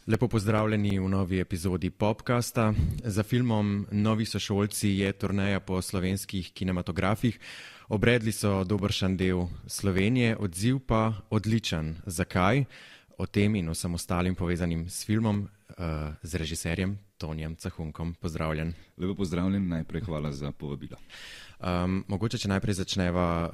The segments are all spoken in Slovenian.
Lepo pozdravljeni v novi epizodi Popcasta. Za filmom Novi sošolci je turneja po slovenskih kinematografih. Obredli so dobršen del Slovenije, odziv pa odličen. Zakaj? O tem in vsem ostalim povezanim s filmom z režiserjem Tonijem Cahunkom. Pozdravljen. Lepo pozdravljen, najprej hvala za povabilo. Mogoče, če najprej začneva,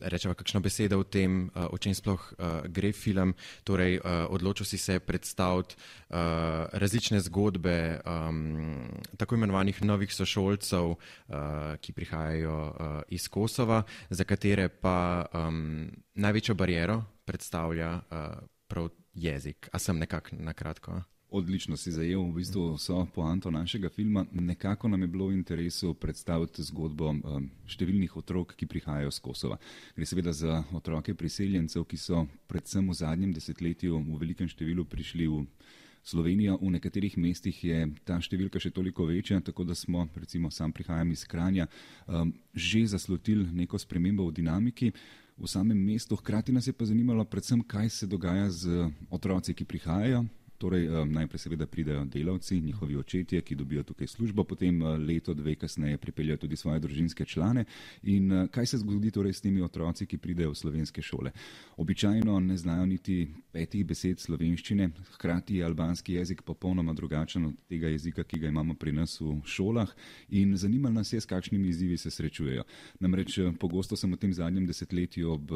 rečeva kakšno besedo o tem, o čem sploh gre film. Torej, odločil si se predstaviti različne zgodbe tako imenovanih novih sošolcev, ki prihajajo iz Kosova, za katere pa največjo bariero predstavlja prav jezik. A sem nekako na kratko? Odlično si zajel v bistvu vso poanto našega filma. Nekako nam je bilo v interesu predstaviti zgodbo številnih otrok, ki prihajajo z Kosova. Gre seveda za otroke priseljencev, ki so predvsem v zadnjem desetletju v velikem številu prišli v Slovenijo. V nekaterih mestih je ta številka še toliko večja, tako da smo, recimo sam prihajam iz Kranja, že zaslutili neko spremembo v dinamiki v samem mestu. Hkrati nas je pa zanimalo predvsem, kaj se dogaja z otroci, ki prihajajo. Torej, najprej seveda pridejo delavci, njihovi očetje, ki dobijo tukaj službo, potem leto, dve kasneje pripeljajo tudi svoje družinske člane. In kaj se zgodi torej s temi otroci, ki pridejo v slovenske šole? Običajno ne znajo niti 5 besed slovenščine, hkrati je albanski jezik popolnoma drugačen od tega jezika, ki ga imamo pri nas v šolah, in zanimalo nas je, s kakšnimi izzivi se srečujejo. Namreč pogosto sem v tem zadnjem desetletju ob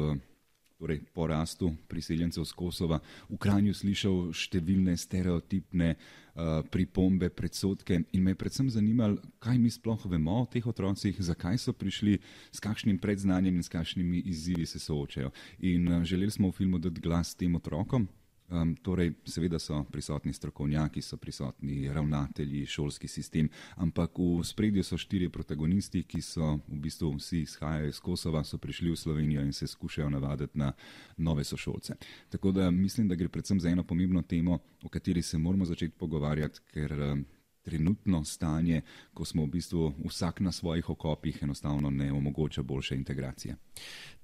porastu priseljencev z Kosova v Kranju slišal številne stereotipne pripombe, predsodke in me je predvsem zanimalo, kaj mi sploh vemo o teh otrocih, zakaj so prišli, s kakšnim predznanjem in s kakšnimi izzivi se soočajo. In želeli smo v filmu dati glas tem otrokom. Torej, seveda so prisotni strokovnjaki, so prisotni ravnatelji, šolski sistem, ampak v spredju so 4 protagonisti, ki so v bistvu vsi izhajajo iz Kosova, so prišli v Slovenijo in se skušajo navaditi na nove sošolce. Tako da mislim, da gre predvsem za eno pomembno temo, o kateri se moramo začeti pogovarjati, ker trenutno stanje, ko smo v bistvu vsak na svojih okopih, enostavno ne omogoča boljše integracije.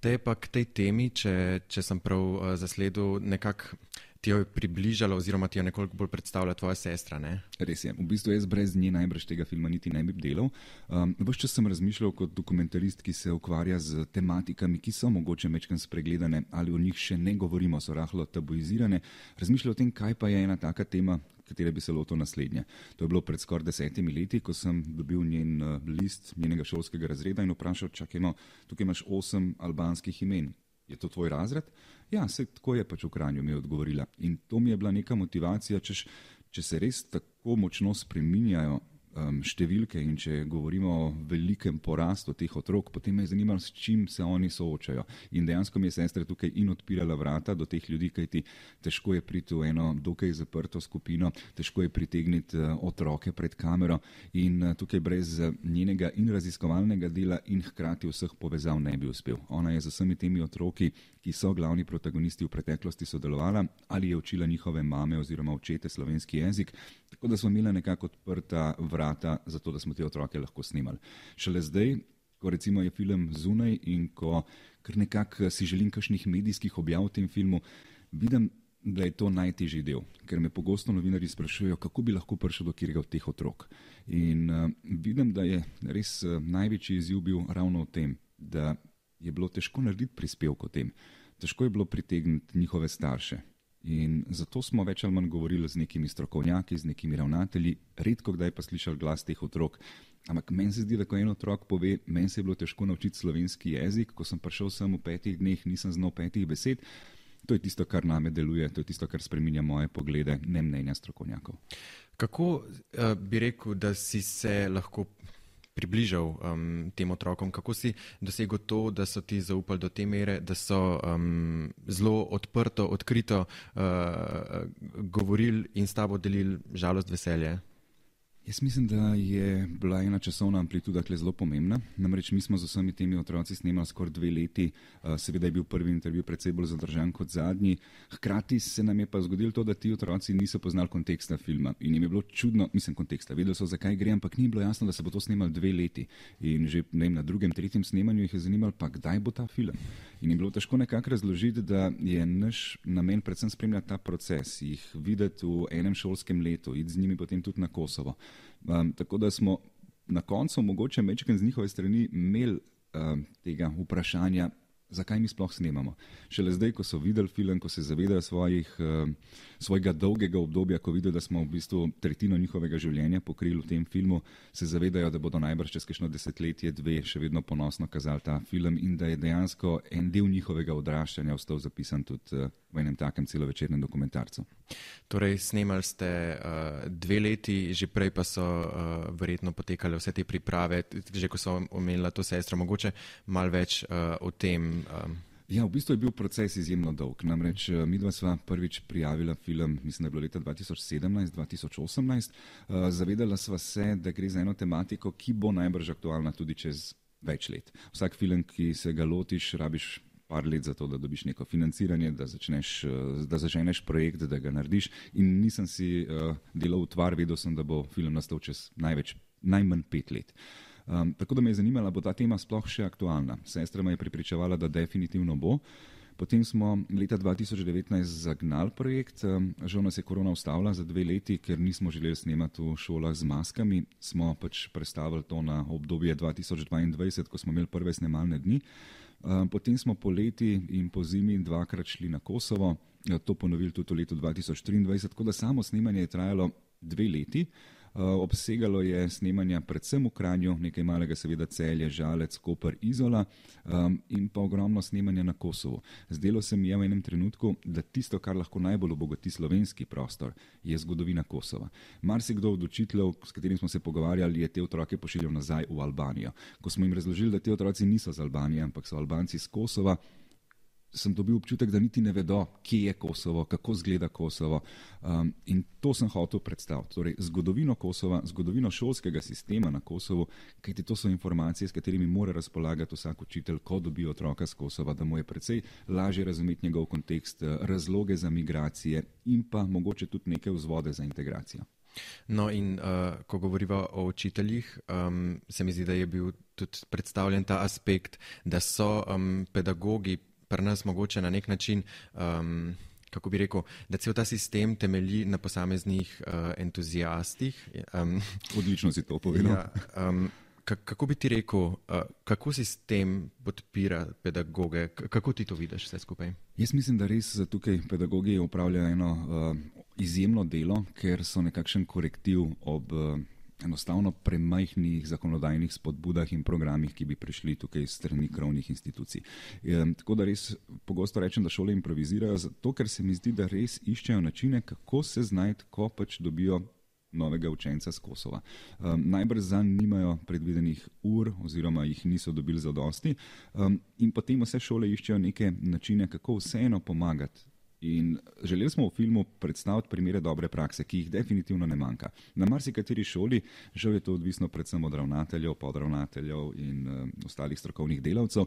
Te pa k tej temi, če sem prav zasledil, nekako ti jo je približalo oziroma ti jo nekoliko bolj predstavlja tvoja sestra, ne? Res je. V bistvu jaz brez nje najbrž tega filma niti ne bi delal. Ves čas sem razmišljal kot dokumentarist, ki se ukvarja z tematikami, ki so mogoče majčkeno spregledane ali o njih še ne govorimo, so rahlo tabuizirane. Razmišljal o tem, kaj pa je ena taka tema, katere bi se lotil naslednje. To je bilo pred skoraj 10 leti, ko sem dobil njen list njenega šolskega razreda in vprašal, čakaj, tukaj imaš 8 albanskih imen. Je to tvoj razred? Ja, se tako je pač v Kranju, mi je odgovorila. In to mi je bila neka motivacija, če se res tako močno spreminjajo številke in če govorimo o velikem porastu teh otrok, potem me je zanimalo, s čim se oni soočajo. In dejansko mi je sestra tukaj in odpirala vrata do teh ljudi, kajti težko je priti v eno dokaj zaprto skupino, težko je pritegniti otroke pred kamero in tukaj brez njenega in raziskovalnega dela in hkrati vseh povezav ne bi uspel. Ona je z vsemi temi otroki, ki so glavni protagonisti, v preteklosti sodelovala ali je učila njihove mame oziroma očete slovenski jezik, tako da smo imeli nekako odprta vrata za to, da smo te otroke lahko snimali. Šele zdaj, ko recimo je film zunaj in ko kar nekako si želim kakšnih medijskih objav v tem filmu, vidim, da je to najtežji del, ker me pogosto novinarji sprašujejo, kako bi lahko prišel do katerega od teh otrok. In vidim, da je res največji izziv bil ravno v tem, da je bilo težko narediti prispevek o tem. Težko je bilo pritegniti njihove starše. In zato smo več ali manj govorili z nekimi strokovnjaki, z nekimi ravnatelji, redko kdaj pa slišali glas teh otrok. Ampak meni se zdi, da ko en otrok pove, meni se je bilo težko naučiti slovenski jezik, ko sem prišel sem v 5 dneh, nisem znal 5 besed, to je tisto, kar name deluje, to je tisto, kar spreminja moje poglede, ne mnenja strokovnjakov. Kako bi rekel, da si se lahko približal tem otrokom? Kako si dosegel to, da so ti zaupali do te mere, da so zelo odprto, odkrito govorili in s tabo delili žalost, veselje? Jaz mislim, da je bila ena časovna amplituda tukaj zelo pomembna. Namreč mi smo z vsemi temi otroci snemali skoraj 2 leti, seveda je bil prvi intervju precej bolj zadržan kot zadnji. Hkrati se nam je pa zgodilo to, da ti otroci niso poznali konteksta filma in jim je bilo čudno, mislim konteksta, vedeli so, zakaj gre, ampak ni bilo jasno, da se bo to snemalo 2 leti. In že na drugem, tretjem snemanju jih je zanimalo, pa kdaj bo ta film. In je bilo težko nekako razložiti, da je naš namen predvsem spremljati ta proces, jih videti v enem šolskem letu, iti z njimi potem tudi na Kosovo. Tako da smo na koncu mogoče mečken z njihove strani imeli tega vprašanja, zakaj mi sploh snemamo. Šele zdaj, ko so videli film, ko se zavedajo svojega dolgega obdobja, ko vidijo, da smo v bistvu tretjino njihovega življenja pokrili v tem filmu, se zavedajo, da bodo najbrž čez kakšno desetletje, 2 še vedno ponosno kazali ta film in da je dejansko en del njihovega odraščanja ostal zapisan tudi v enem takem celovečernem dokumentarcu. Torej, snemali ste 2 leti, že prej pa so verjetno potekale vse te priprave, že ko so omenila to sestro, mogoče malo več o tem. Ja, v bistvu je bil proces izjemno dolg. Namreč midva sva prvič prijavila film, mislim, da je bilo leta 2017-2018. Zavedala sva se, da gre za eno tematiko, ki bo najbrž aktualna tudi čez več let. Vsak film, ki se ga lotiš, rabiš par let za to, da dobiš neko financiranje, da začneš projekt, da ga narediš. In nisem si delal utvar, vedel sem, da bo film nastal čez najmanj 5 let. Tako da me je zanimala, bo ta tema sploh še aktualna. Sestra me je prepričevala, da definitivno bo. Potem smo leta 2019 zagnali projekt, žal nas je korona ustavila za 2 leti, ker nismo želeli snemati v šolah z maskami. Smo pač prestavili to na obdobje 2022, ko smo imeli prve snemalne dni. Potem smo poleti in po zimi 2-krat šli na Kosovo, to ponovili tudi v letu 2023, tako da samo snemanje je trajalo 2 leti. Obsegalo je snemanja predvsem v Kranju, nekaj malega seveda Celje, Žalec, Koper, Izola in pa ogromno snemanja na Kosovu. Zdelo se mi je v enem trenutku, da tisto, kar lahko najbolj obogati slovenski prostor, je zgodovina Kosova. Marsikdo od učiteljev, s katerim smo se pogovarjali, je te otroke pošiljal nazaj v Albanijo. Ko smo jim razložili, da te otroci niso z Albanije, ampak so Albanci z Kosova, sem dobil občutek, da niti ne vedo, kje je Kosovo, kako izgleda Kosovo. In to sem hotel predstaviti. Torej, zgodovino Kosova, zgodovino šolskega sistema na Kosovu, kajti to so informacije, s katerimi mora razpolagati vsak učitelj, ko dobi otroka z Kosova, da mu je precej lažje razumeti njegov kontekst, razloge za migracije in pa mogoče tudi neke vzvode za integracijo. No in ko govoriva o učiteljih, se mi zdi, da je bil tudi predstavljen ta aspekt, da so pedagogi pri nas mogoče na nek način, kako bi rekel, da cel ta sistem temelji na posameznih entuzijastih. Odlično si to povedal. Ja, kako bi ti rekel, kako sistem podpira pedagoge, kako ti to vidiš vse skupaj? Jaz mislim, da res tukaj pedagogi opravljajo eno izjemno delo, ker so nekakšen korektiv ob enostavno premajhnih zakonodajnih spodbudah in programih, ki bi prišli tukaj strani krovnih institucij. Tako da res pogosto rečem, da šole improvizirajo, zato ker se mi zdi, da res iščejo načine, kako se znajti, ko pač dobijo novega učenca z Kosova. Najbrž zanj nimajo predvidenih ur oziroma jih niso dobili zadosti in potem vse šole iščejo neke načine, kako vseeno pomagati. In želeli smo v filmu predstaviti primere dobre prakse, ki jih definitivno ne manjka. Na marsikateri šoli, žal je to odvisno predvsem od ravnateljev, podravnateljev in ostalih strokovnih delavcev,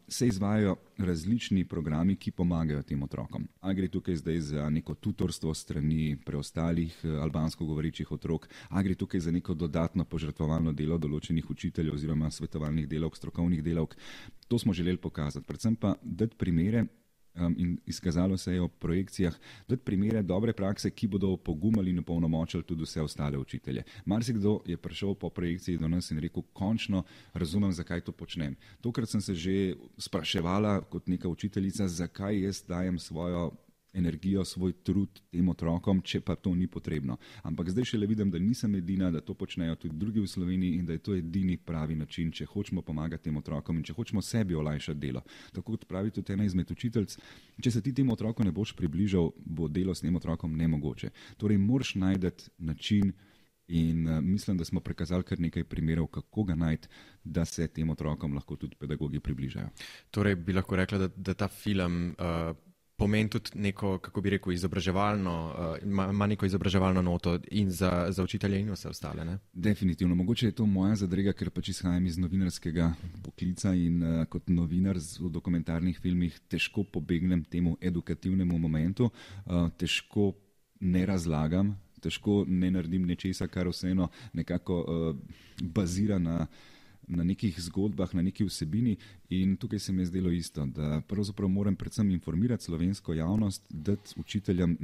se izvajajo različni programi, ki pomagajo tem otrokom. A gre tukaj zdaj za neko tutorstvo strani preostalih albansko govorečih otrok, a gre tukaj za neko dodatno požrtvovalno delo določenih učiteljev oziroma svetovalnih delavk, strokovnih delavk. To smo želeli pokazati. Predvsem pa dati primere in izkazalo se je v projekcijah, dati primere dobre prakse, ki bodo opogumali in opolnomočili tudi vse ostale učitelje. Marsikdo je prišel po projekciji do nas in rekel, končno razumem, zakaj to počnem. Tokrat sem se že spraševala kot neka učiteljica, zakaj jaz dajem svojo energijo, svoj trud tem otrokom, če pa to ni potrebno. Ampak zdaj šele vidim, da nisem edina, da to počnejo tudi drugi v Sloveniji in da je to edini pravi način, če hočemo pomagati tem otrokom in če hočemo sebi olajšati delo. Tako kot pravi tudi ena izmed učiteljic, če se ti temu otroku ne boš približal, bo delo s tem otrokom nemogoče. Torej, moraš najti način in mislim, da smo prikazali kar nekaj primerov, kako ga najti, da se tem otrokom lahko tudi pedagogi približajo. Torej, bi lahko rekla, da ta film pomeni tudi neko, kako bi rekel, izobraževalno, ima neko izobraževalno noto in za učitelje in vse ostale. Ne? Definitivno. Mogoče je to moja zadrega, ker pač izhajam iz novinarskega poklica in kot novinar v dokumentarnih filmih težko pobegnem temu edukativnemu momentu, težko ne razlagam, težko ne naredim nečesa, kar vseeno nekako bazira na nekih zgodbah, na neki vsebini in tukaj se mi je zdelo isto, da pravzaprav moram predvsem informirati slovensko javnost, dati učiteljem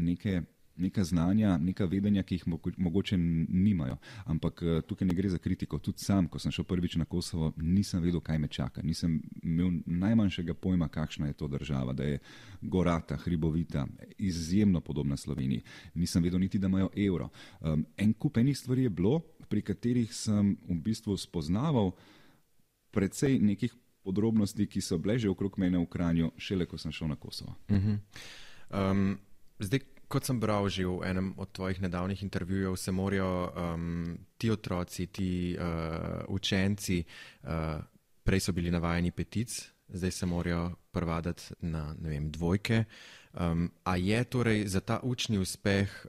neka znanja, neka vedenja, ki jih mogoče nimajo. Ampak tukaj ne gre za kritiko. Tudi sam, ko sem šel prvič na Kosovo, nisem vedel, kaj me čaka. Nisem imel najmanjšega pojma, kakšna je to država, da je gorata, hribovita, izjemno podobna Sloveniji. Nisem vedel niti, da imajo evro. En kup enih stvari je bilo, pri katerih sem v bistvu spoznaval precej nekih podrobnosti, ki so bile že okrog mene v Kranju, šele ko sem šel na Kosovo. Zdaj, kot sem bral že v enem od tvojih nedavnih intervjujev, se morajo ti otroci, ti učenci, prej so bili navajeni petic, zdaj se morajo privaditi na, ne vem, dvojke. A je torej za ta učni uspeh,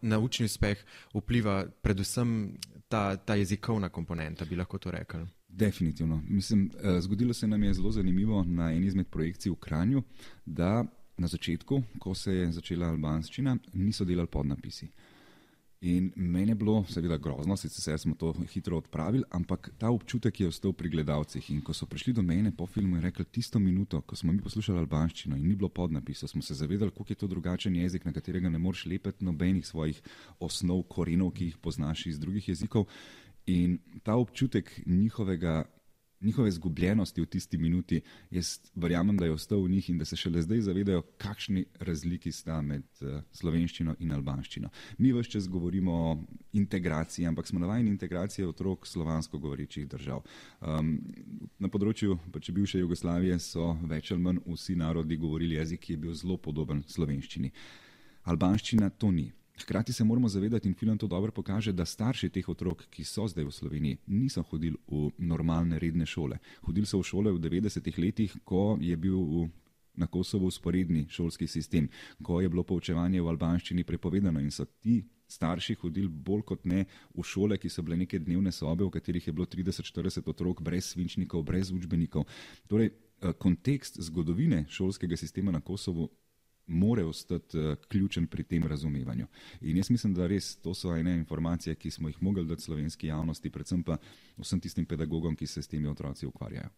na učni uspeh vpliva predvsem ta jezikovna komponenta, bi lahko to rekli? Definitivno. Mislim, zgodilo se nam je zelo zanimivo na eni izmed projekcij v Kranju, da na začetku, ko se je začela albanščina, niso delali podnapisi. In meni je bilo seveda grozno, sicer smo to hitro odpravili, ampak ta občutek je ostal pri gledalcih. In ko so prišli do mene po filmu in rekli, tisto minuto, ko smo mi poslušali albanščino in ni bilo podnapisov, smo se zavedali, koliko je to drugačen jezik, na katerega ne moreš lepeti nobenih svojih osnov, korenov, ki jih poznaš iz drugih jezikov. In ta občutek njihove izgubljenosti v tisti minuti, jaz verjamem, da je ostal v njih in da se šele zdaj zavedajo, kakšni razliki sta med slovenščino in albanščino. Mi ves čas govorimo o integraciji, ampak smo navajeni integracije otrok slovansko govorečih držav. Na področju pač bivše Jugoslavije so več ali manj vsi narodi govorili jezik, ki je bil zelo podoben slovenščini. Albanščina to ni. Hkrati se moramo zavedati, in film to dobro pokaže, da starši teh otrok, ki so zdaj v Sloveniji, niso hodili v normalne, redne šole. Hodili so v šole v 90-ih letih, ko je bil na Kosovu usporedni šolski sistem, ko je bilo poučevanje v albanščini prepovedano in so ti starši hodili bolj kot ne v šole, ki so bile neke dnevne sobe, v katerih je bilo 30-40 otrok brez svinčnikov, brez učbenikov. Torej, kontekst zgodovine šolskega sistema na Kosovu more ostati ključen pri tem razumevanju. In jaz mislim, da res to so ene informacije, ki smo jih mogli dati slovenski javnosti, predvsem pa vsem tistim pedagogom, ki se s temi otroci ukvarjajo.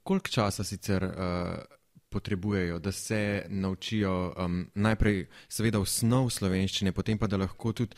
Koliko časa sicer potrebujejo, da se naučijo najprej seveda osnov slovenščine, potem pa da lahko tudi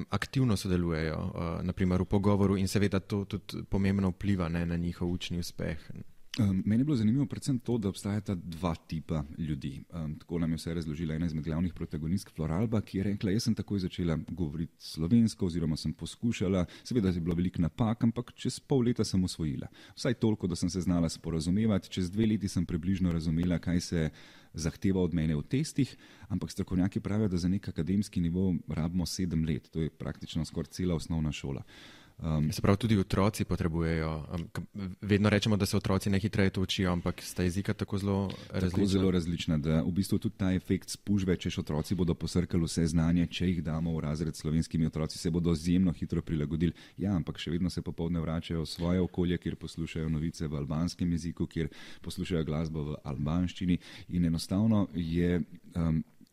aktivno sodelujejo, naprimer v pogovoru in seveda to tudi pomembno vpliva na njihov učni uspeh? Meni je bilo zanimivo predvsem to, da obstajata dva tipa ljudi. Tako nam je vse razložila ena izmed glavnih protagonistk Floralba, ki je rekla, jaz sem takoj začela govoriti slovensko oziroma sem poskušala, seveda je bilo veliko napak, ampak čez pol leta sem osvojila. Vsaj toliko, da sem se znala sporazumevati, čez 2 leti sem približno razumela, kaj se zahteva od mene v testih, ampak strokovnjaki pravijo, da za nek akademski nivo rabimo 7 let, to je praktično skoraj cela osnovna šola. Se pravi, tudi otroci potrebujejo, vedno rečemo, da se otroci najhitreje to učijo, ampak sta jezika tako zelo različna. Tako zelo različna, da v bistvu tudi ta efekt spužve, češ otroci bodo posrkali vse znanje, če jih damo v razred s slovenskimi otroci, se bodo izjemno hitro prilagodili. Ja, ampak še vedno se popoldne vračajo v svoje okolje, kjer poslušajo novice v albanskem jeziku, kjer poslušajo glasbo v albanščini in enostavno je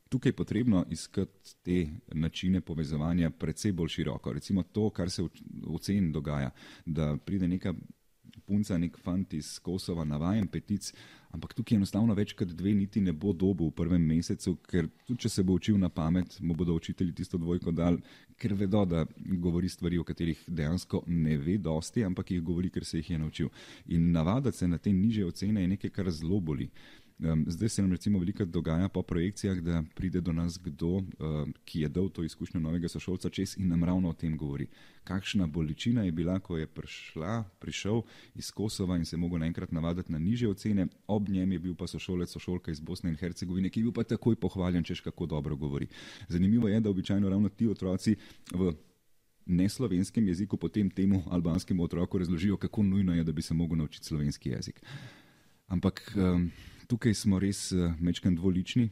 tukaj potrebno iskati te načine povezovanja precej bolj široko. Recimo to, kar se v ceni dogaja, da pride neka punca, nek fant iz Kosova navajen petic, ampak tukaj enostavno več kot 2 niti ne bo dobil v prvem mesecu, ker tudi če se bo učil na pamet, mu bodo učitelji tisto dvojko dali, ker vedo, da govori stvari, o katerih dejansko ne ve dosti, ampak jih govori, ker se jih je naučil. In navadati se na te nižje ocene je nekaj, kar zelo boli. Zdaj se nam recimo veliko dogaja po projekcijah, da pride do nas kdo, ki je dal to izkušnjo novega sošolca čez in nam ravno o tem govori. Kakšna bolečina je bila, ko je prišel iz Kosova in se je mogel naenkrat navaditi na nižje ocene, ob njem je bil pa sošolka iz Bosne in Hercegovine, ki je bil pa takoj pohvaljen, češ kako dobro govori. Zanimivo je, da običajno ravno ti otroci v neslovenskem jeziku potem temu albanskemu otroku razložijo, kako nujno je, da bi se mogel naučiti slovenski jezik. Ampak Tukaj smo res majčkeno dvolični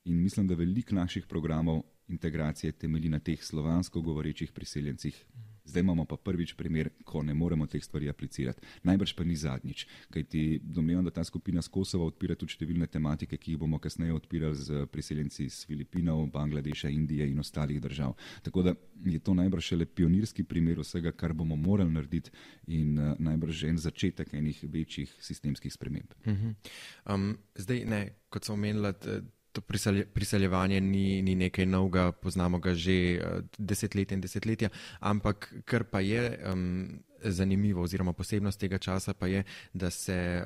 in mislim, da veliko naših programov integracije temelji na teh slovansko govorečih priseljencih. Zdaj imamo pa prvič primer, ko ne moremo teh stvari aplicirati. Najbrž pa ni zadnjič, kajti domnevam, da ta skupina s Kosova odpira tudi številne tematike, ki jih bomo kasneje odpirali z priseljenci iz Filipinov, Bangladeša, Indije in ostalih držav. Tako da je to najbrž šele pionirski primer vsega, kar bomo morali narediti in najbrž en začetek enih večjih sistemskih sprememb. Zdaj ne, kot sem omenila, to priseljevanje ni nekaj novega, poznamo ga že desetletja in desetletja, ampak kar pa je zanimivo oziroma posebnost tega časa pa je, da se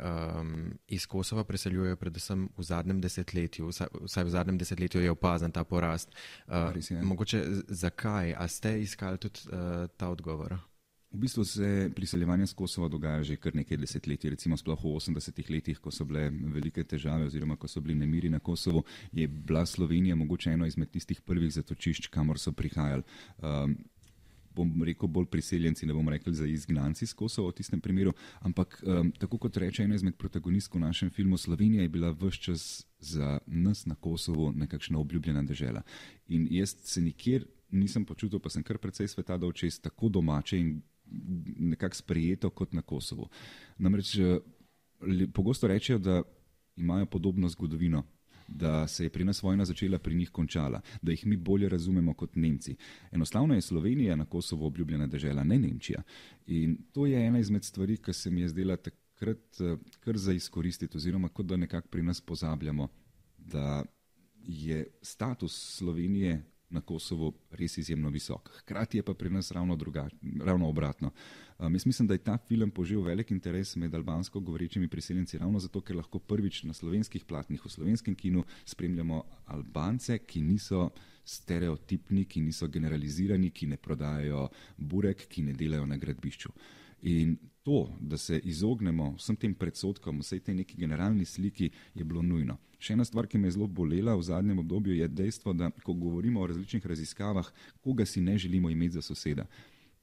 iz Kosova preseljujejo predvsem v zadnjem desetletju, vsaj v zadnjem desetletju je opazen ta porast. Mogoče zakaj? A ste iskali tudi ta odgovor? V bistvu se priseljevanje z Kosova dogaja že kar nekaj desetletij, recimo sploh v 80-ih letih, ko so bile velike težave oziroma ko so bili nemiri na Kosovu, je bila Slovenija mogoče eno izmed tistih prvih zatočišč, kamor so prihajali. Bom rekel bolj priseljenci, ne bom rekel za izgnanci z Kosova v tistem primeru, ampak tako kot reče ena izmed protagonistk v našem filmu, Slovenija je bila ves čas za nas na Kosovu nekakšna obljubljena dežela. In jaz se nikjer nisem počutil, pa sem kar precej sveta dal čez tako domače in nekako sprejeto kot na Kosovu. Namreč pogosto rečejo, da imajo podobno zgodovino, da se je pri nas vojna začela, pri njih končala, da jih mi bolje razumemo kot Nemci. Enostavno je Slovenija na Kosovu obljubljena dežela, ne Nemčija. In to je ena izmed stvari, ki se mi je zdela takrat kar za izkoristiti, oziroma kot da nekako pri nas pozabljamo, da je status Slovenije na Kosovu res izjemno visok. Hkrati je pa pri nas ravno obratno. Jaz mislim, da je ta film požel velik interes med albansko govorečimi priseljenci ravno zato, ker lahko prvič na slovenskih platnih, v slovenskem kinu spremljamo Albance, ki niso stereotipni, ki niso generalizirani, ki ne prodajajo burek, ki ne delajo na gradbišču. In to, da se izognemo vsem tem predsodkom, vsej tej neki generalni sliki, je bilo nujno. Še ena stvar, ki me je zelo bolela v zadnjem obdobju, je dejstvo, da ko govorimo o različnih raziskavah, koga si ne želimo imeti za soseda,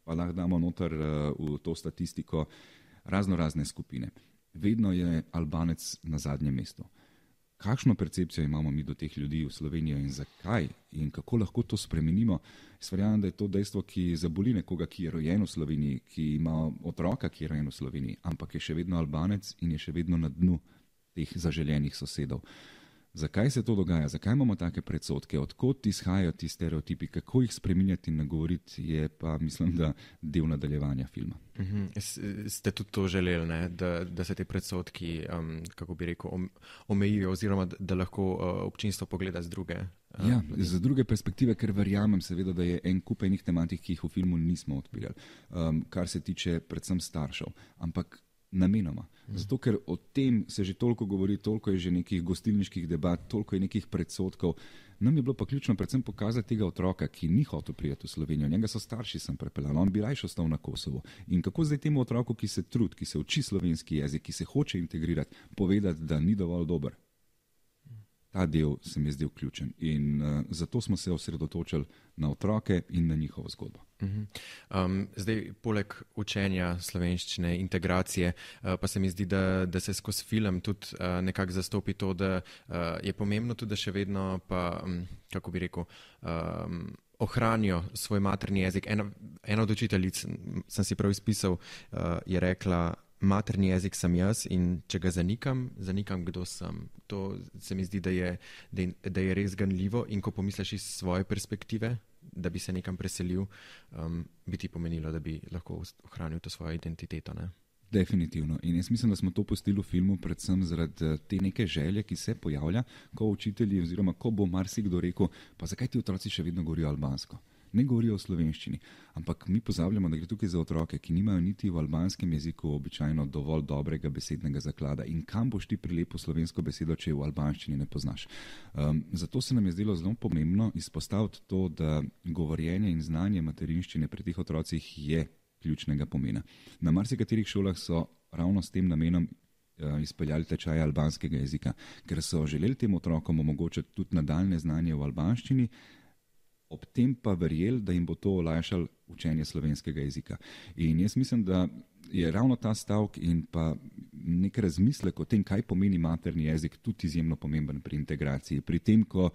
pa lahko damo noter v to statistiko razne skupine. Vedno je Albanec na zadnjem mestu. Kakšno percepcijo imamo mi do teh ljudi v Sloveniji in zakaj in kako lahko to spremenimo? Jaz verjamem, da je to dejstvo, ki zaboli nekoga, ki je rojen v Sloveniji, ki ima otroka, ki je rojen v Sloveniji, ampak je še vedno Albanec in je še vedno na dnu teh zaželenih sosedov. Zakaj se to dogaja? Zakaj imamo take predsodke? Odkot izhajajo ti stereotipi? Kako jih spreminjati in nagovoriti, je pa, mislim, da del nadaljevanja filma. Ste tudi to želeli, ne? Da se te predsodki, kako bi rekel, omejijo oziroma da lahko občinstvo pogleda z druge? Z druge perspektive, ker verjamem seveda, da je en kup enih tematik, ki jih v filmu nismo odpirali, kar se tiče predvsem staršev, ampak namenoma. Zato, ker o tem se že toliko govori, toliko je že nekih gostilniških debat, toliko je nekih predsodkov. Nam je bilo pa ključno predvsem pokazati tega otroka, ki ni hotel priti v Slovenijo. Njega so starši sem prepeljali, on bi rajši ostal na Kosovu. In kako zdaj temu otroku, ki se trudi, ki se uči slovenski jezik, ki se hoče integrirati, povedati, da ni dovolj dober? Ta del se mi je zdel ključen in zato smo se osredotočili na otroke in na njihovo zgodbo. Zdaj, poleg učenja slovenščine, integracije, pa se mi zdi, da se skozi film tudi nekako zastopi to, da je pomembno tudi, da še vedno pa, kako bi rekel, ohranijo svoj materni jezik. Ena od učiteljic, sem si prav izpisal, je rekla, materni jezik sem jaz in če ga zanikam, kdo sem. To se mi zdi, da je res ganljivo in ko pomisliš iz svoje perspektive, da bi se nekam preselil, bi ti pomenilo, da bi lahko ohranil to svojo identiteto, ne? Definitivno. In jaz mislim, da smo to pustili v filmu predvsem zaradi te neke želje, ki se pojavlja, ko učitelji oziroma ko bo marsikdo rekel, pa zakaj ti otroci še vedno govorijo albansko? Ne govorijo o slovenščini, ampak mi pozabljamo, da gre tukaj za otroke, ki nimajo niti v albanskem jeziku običajno dovolj dobrega besednega zaklada. In kam boš ti prilepil slovensko besedo, če je v albanščini ne poznaš? Zato se nam je zdelo zelo pomembno izpostaviti to, da govorjenje in znanje materinščine pri teh otrocih je ključnega pomena. Na marsikaterih šolah so ravno s tem namenom izpeljali tečaje albanskega jezika, ker so želeli tem otrokom omogočiti tudi nadaljne znanje v albanščini, ob tem pa verjeli, da jim bo to olajšalo učenje slovenskega jezika. In jaz mislim, da je ravno ta stavek in pa nek razmislek o tem, kaj pomeni materni jezik, tudi izjemno pomemben pri integraciji. Pri tem, ko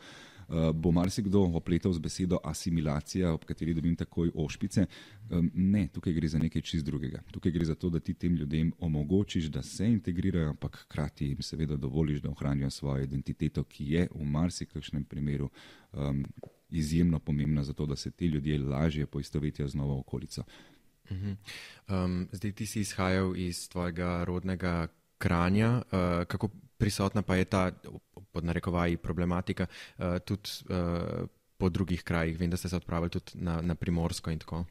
bo marsikdo opletal z besedo asimilacija, ob kateri dobim takoj ošpice. Ne, tukaj gre za nekaj čist drugega. Tukaj gre za to, da ti tem ljudem omogočiš, da se integrirajo, ampak hkrati jim seveda dovoliš, da ohranijo svojo identiteto, ki je v marsikakšnem primeru izjemno pomembna za to, da se ti ljudje lažje poistovetijo z novo okolico. Zdaj ti si izhajal iz tvojega rodnega Kranja. Kako prisotna pa je ta, pod narekovaji, problematika tudi po drugih krajih? Vem, da ste se odpravili tudi na Primorsko in tako.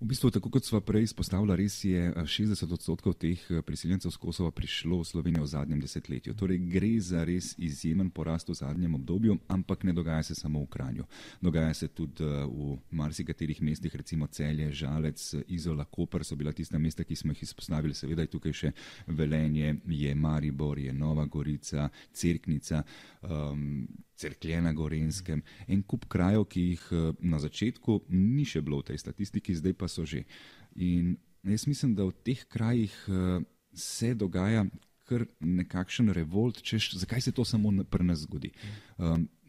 V bistvu, tako kot sva prej izpostavila, res je 60% teh priseljencev z Kosova prišlo v Slovenijo v zadnjem desetletju. Torej gre za res izjemen porast v zadnjem obdobju, ampak ne dogaja se samo v Kranju. Dogaja se tudi v marsikaterih mestih, recimo Celje, Žalec, Izola, Koper so bila tista mesta, ki smo jih izpostavili. Seveda je tukaj še Velenje, je Maribor, je Nova Gorica, Cerknica, Cerklje na Gorenjskem. En kup krajev, ki jih na začetku ni še bilo v tej statistiki, zdaj pa so že. In jaz mislim, da v teh krajih se dogaja kar nekakšen revolt, češ, zakaj se to samo pri nas zgodi.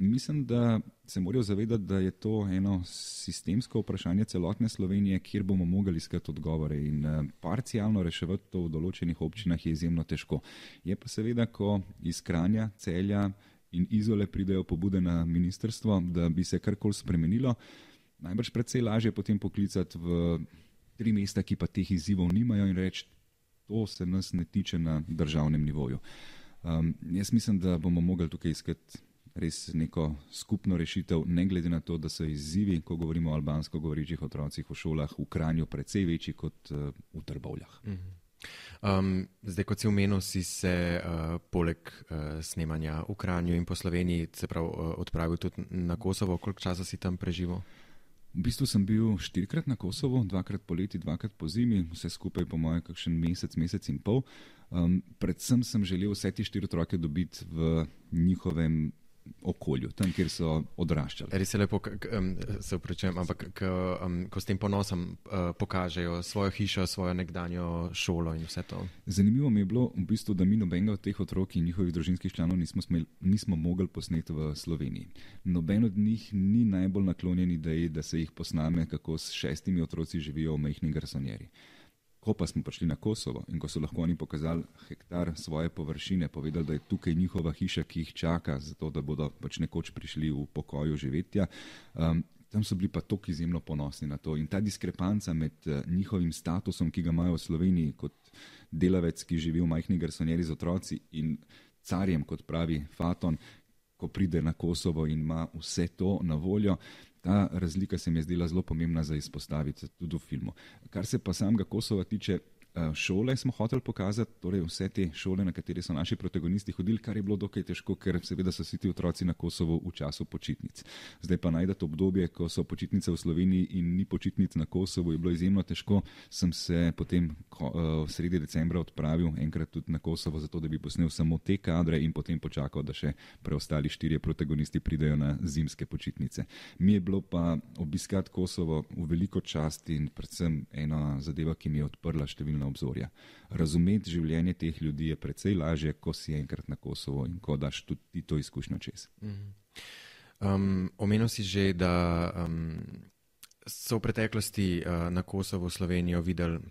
Mislim, da se morajo zavedati, da je to eno sistemsko vprašanje celotne Slovenije, kjer bomo mogli iskati odgovore in parcialno reševati to v določenih občinah je izjemno težko. Je pa seveda, ko iz Kranja, Celja in Izole pridejo pobude na ministrstvo, da bi se karkoli spremenilo, najbrž precej lažje potem poklicati v 3 mesta, ki pa teh izzivov nimajo in reči, to se nas ne tiče na državnem nivoju. Jaz mislim, da bomo mogli tukaj iskati res neko skupno rešitev, ne glede na to, da so izzivi, ko govorimo o albansko govorečih otrocih v šolah, v Kranju precej večji kot v Trbovljah. Zdaj, kot si omenil, si se poleg snemanja v Kranju in po Sloveniji se prav odpravil tudi na Kosovo. Koliko časa si tam preživel? V bistvu sem bil 4-krat na Kosovo, 2-krat poleti, 2-krat po zimi, vse skupaj po moje kakšen mesec in pol. Predvsem sem želel vse te 4 otroke dobiti v njihovem okolju, tam, kjer so odraščali. Res je lepo, se upravičujem, ampak ko s tem ponosom pokažejo svojo hišo, svojo nekdanjo šolo in vse to. Zanimivo mi je bilo v bistvu, da mi nobenega od teh otrok in njihovih družinskih članov nismo mogli posneti v Sloveniji. Noben od njih ni najbolj naklonjen ideji, da se jih posname, kako s 6 otroci živijo v majhni garsonjeri. Ko pa smo prišli na Kosovo in ko so lahko oni pokazali hektar svoje površine, povedali, da je tukaj njihova hiša, ki jih čaka, zato da bodo pač nekoč prišli v pokoju živetja, tam so bili pa toliko izjemno ponosni na to. In ta diskrepanca med njihovim statusom, ki ga imajo v Sloveniji kot delavec, ki živi v majhni garsonjeri z otroci, in carjem, kot pravi Faton, ko pride na Kosovo in ima vse to na voljo, ta razlika se mi je zdela zelo pomembna za izpostaviti tudi v filmu. Kar se pa samega Kosova tiče, šole smo hoteli pokazati, torej vse te šole, na katere so naši protagonisti hodili, kar je bilo dokaj težko, ker seveda so vsi ti otroci na Kosovu v času počitnic. Zdaj pa najdete obdobje, ko so počitnice v Sloveniji in ni počitnic na Kosovu, je bilo izjemno težko. Sem se potem v sredi decembra odpravil enkrat tudi na Kosovo, zato da bi posnel samo te kadre in potem počakal, da še preostali 4 protagonisti pridejo na zimske počitnice. Mi je bilo pa obiskati Kosovo v veliko čast in predvsem ena zadeva, ki mi je odprla številne obzorja. Razumeti življenje teh ljudi je precej lažje, ko si enkrat na Kosovo in ko daš tudi to izkušnjo čez. Omenil si že, da so v preteklosti na Kosovo Slovenijo videli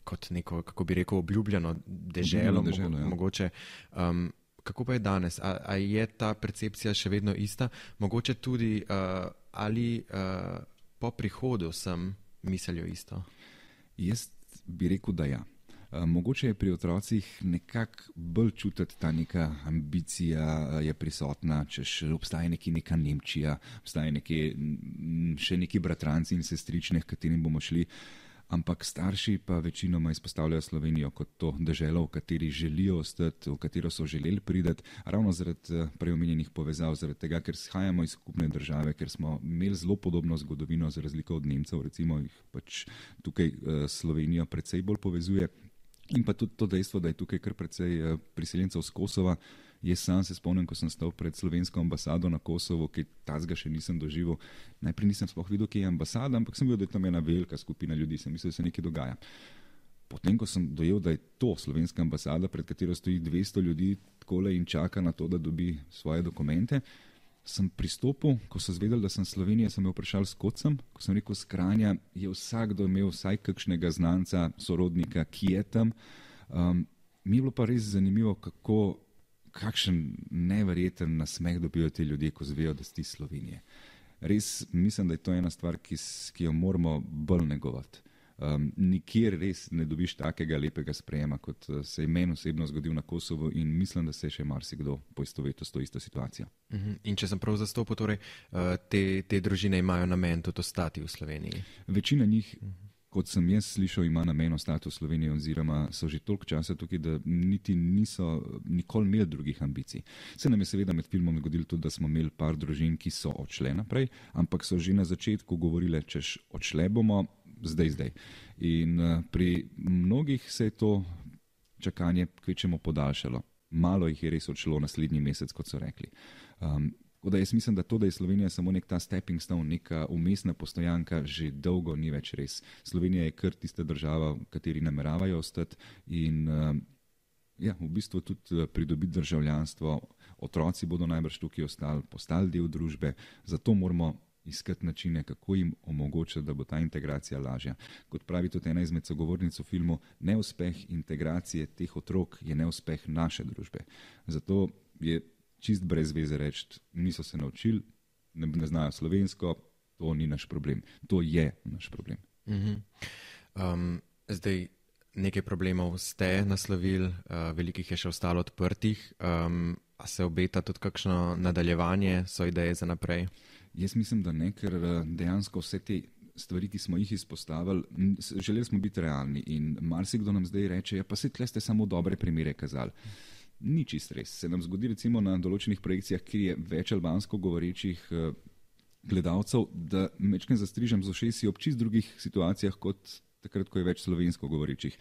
kot neko, kako bi rekel, obljubljeno deželo, mogoče. Kako pa je danes? A je ta percepcija še vedno ista? Mogoče tudi ali po prihodu sem mislijo isto? Jaz bi rekel, da ja. Mogoče je pri otrocih nekako bolj čutiti ta neka ambicija je prisotna, če obstaja neka Nemčija, obstaja še neki bratranci in sestrične, k katerim bomo šli. Ampak starši pa večinoma izpostavljajo Slovenijo kot to deželo, v kateri želijo ostati, v katero so želeli priti, ravno zaradi preomenjenih povezav, zaradi tega, ker shajamo iz skupne države, ker smo imeli zelo podobno zgodovino, za razliko od Nemcev, recimo jih pač tukaj Slovenijo precej bolj povezuje. In pa tudi to dejstvo, da je tukaj kar precej priseljencev z Kosova. Jaz sam se spomnim, ko sem stal pred slovensko ambasado na Kosovo, ki tazga še nisem doživel. Najprej nisem sploh videl, kje je ambasada, ampak sem videl, da je tam ena velika skupina ljudi, sem mislil, da se nekaj dogaja. potem, ko sem dojel, da je to slovenska ambasada, pred katero stoji 200 ljudi takole in čaka na to, da dobi svoje dokumente, sem pristopil, ko so zvedeli, da sem Slovenija, sem me vprašal, skod sem. Ko sem rekel, s Kranja, je vsakdo imel vsaj kakšnega znanca, sorodnika, ki je tam. Mi je bilo pa res zanimivo, kakšen neverjeten nasmeh dobijo ti ljudje, ko zvejo, da si Slovenije. Res mislim, da je to ena stvar, ki jo moramo bolj negovati. Nikjer res ne dobiš takega lepega sprejema, kot se je meni osebno zgodil na Kosovu in mislim, da se še marsikdo poistovetil s to isto situacijo. In če sem prav zastopil, torej te družine imajo namen tudi ostati v Sloveniji? Večina njih, kot sem jaz slišal, ima namen ostati v Sloveniji oziroma so že toliko časa tukaj, da niti niso nikoli imeli drugih ambicij. Se nam je seveda med filmom zgodilo tudi, da smo imeli par družin, ki so odšle naprej, ampak so že na začetku govorile, češ odšle bomo, zdaj. In pri mnogih se je to čakanje kvečemo podaljšalo. Malo jih je res odšlo naslednji mesec, kot so rekli. Tako da jaz mislim, da to, da je Slovenija samo nek ta stepping stone, neka umestna postojanka, že dolgo ni več res. Slovenija je kar tista država, v kateri nameravajo ostati in v bistvu tudi pridobiti državljanstvo. Otroci bodo najbrž tukaj postali del družbe, zato moramo iskati načine, kako jim omogočiti, da bo ta integracija lažja. Kot pravi tudi ena izmed sogovornic v filmu, neuspeh integracije teh otrok je neuspeh naše družbe. Zato je čist brez veze reči, niso se naučili, ne znajo slovensko, to ni naš problem. To je naš problem. Zdaj, nekaj problemov ste naslovili, velikih je še ostalo odprtih. A se obeta tudi kakšno nadaljevanje, so ideje za naprej? Jaz mislim, da ne, ker dejansko vse te stvari, ki smo jih izpostavili, želeli smo biti realni in marsikdo nam zdaj reče, pa se tle ste samo dobre primere kazali. Ni čist res. Se nam zgodi recimo na določenih projekcijah, kjer je več albansko govorečih gledalcev, da mečken zastrižem z ušesi ob čist drugih situacijah kot takrat, ko je več slovensko govorečih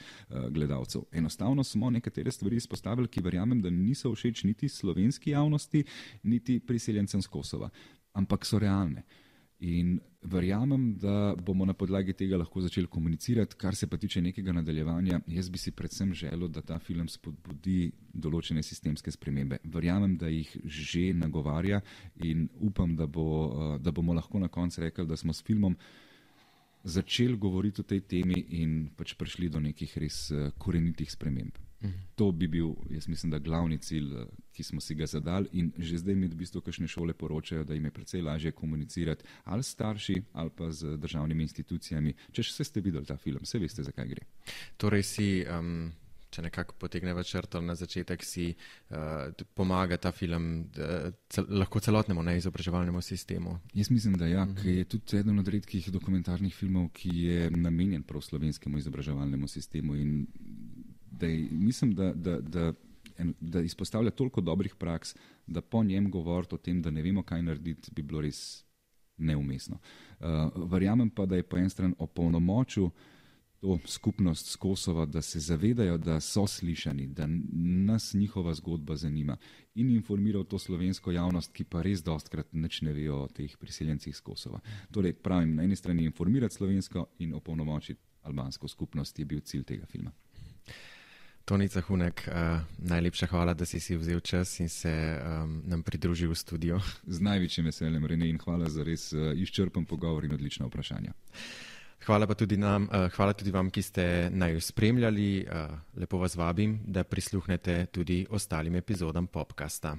gledalcev. Enostavno smo nekatere stvari izpostavili, ki verjamem, da niso všeč niti slovenski javnosti, niti priseljencem z Kosova, ampak so realne. In verjamem, da bomo na podlagi tega lahko začeli komunicirati. Kar se pa tiče nekega nadaljevanja, jaz bi si predvsem želel, da ta film spodbudi določene sistemske spremembe. Verjamem, da jih že nagovarja in upam, da bomo lahko na koncu rekli, da smo s filmom začeli govoriti o tej temi in pač prišli do nekih res korenitih sprememb. To bi bil, jaz mislim, da glavni cilj, ki smo si ga zadali in že zdaj mi v bistvu kakšne šole poročajo, da jim je precej lažje komunicirati ali s starši ali pa z državnimi institucijami. Če še ste videli ta film, se veste, zakaj gre. Torej si, če nekako potegneva črto na začetek, si pomaga ta film lahko celotnemu neizobraževalnemu sistemu? Jaz mislim, da ja, ker je tudi eden od redkih dokumentarnih filmov, ki je namenjen prav slovenskemu izobraževalnemu sistemu in mislim, da izpostavlja toliko dobrih praks, da po njem govoriti o tem, da ne vemo, kaj narediti, bi bilo res neumestno. Verjamem pa, da je po en stran opolnomočil to skupnost z Kosova, da se zavedajo, da so slišani, da nas njihova zgodba zanima in informiral to slovensko javnost, ki pa res dostkrat nič ne vejo o teh priseljencih z Kosova. Torej, pravim, na eni strani informirati slovensko in opolnomočiti albansko skupnost je bil cilj tega filma. Toni Cahunek, najlepša hvala, da si vzel čas in se nam pridružil v studiu. Z največjim veseljem, Rene, in hvala za res izčrpen pogovor in odlična vprašanja. Hvala tudi vam, ki ste naju spremljali. Lepo vas vabim, da prisluhnete tudi ostalim epizodam Popcasta.